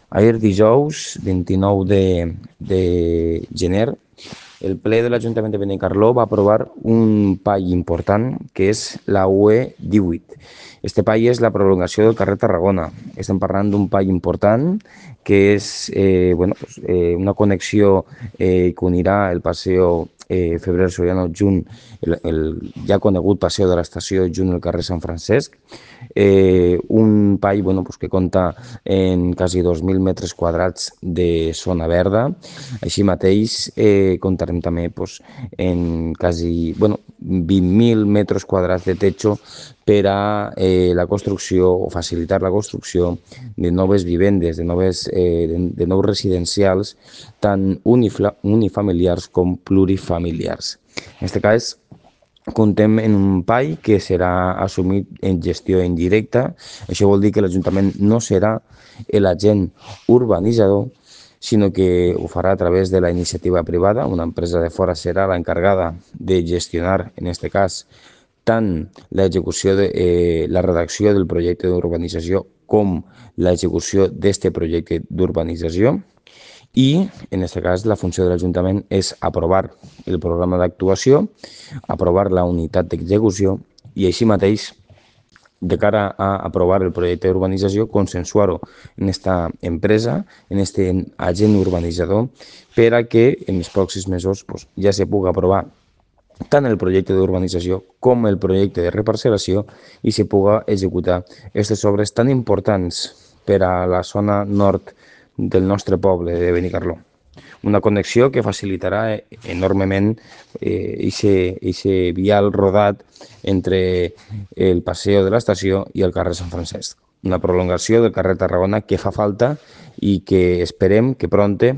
Ahir dijous, 29 de gener, el ple de l'Ajuntament de Benicarló va aprovar un PAI important que és la UE 18. Este PAI és la prolongació del carrer Tarragona. Estem parlant d'un PAI important que és una connexió que unirà el Paseo Febrer Soriano junt el ja conegut Paseo de l'Estació junt al carrer Sant Francesc. Un PAI que compta en quasi 2.000 metres quadrats de zona verda. Així mateix comptarem també en quasi 20.000 metres quadrats de techo per a la construcció o facilitar la construcció de noves vivendes, de nous residencials, tant unifamiliars com plurifamiliars. En aquest cas, comptem en un PAI que serà assumit en gestió indirecta. Això vol dir que l'Ajuntament no serà l'agent urbanitzador, sinó que ho farà a través de la iniciativa privada. Una empresa de fora serà l'encarregada de gestionar, en aquest cas, tant l'execució la redacció del projecte d'urbanització com l'execució d'aquest projecte d'urbanització. I, en aquest cas, la funció de l'Ajuntament és aprovar el programa d'actuació, aprovar la unitat d'execució i, així mateix, de cara a aprovar el projecte d'urbanització, consensuar-ho en aquesta empresa, en aquest agent urbanitzador, per a que en els pròxims mesos ja se pugui aprovar tant el projecte d'urbanització com el projecte de reparcel·lació i se pugui executar aquestes obres tan importants per a la zona nord del nostre poble de Benicarló. Una connexió que facilitarà enormement aquest vial rodat entre el Paseo de l'Estació i el carrer Sant Francesc. Una prolongació del carrer Tarragona que fa falta i que esperem que prompte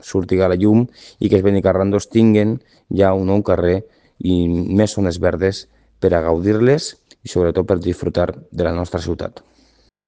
surti a la llum i que els benicarrandos tinguen ja un nou carrer i més zones verdes per a gaudir-les i sobretot per disfrutar de la nostra ciutat.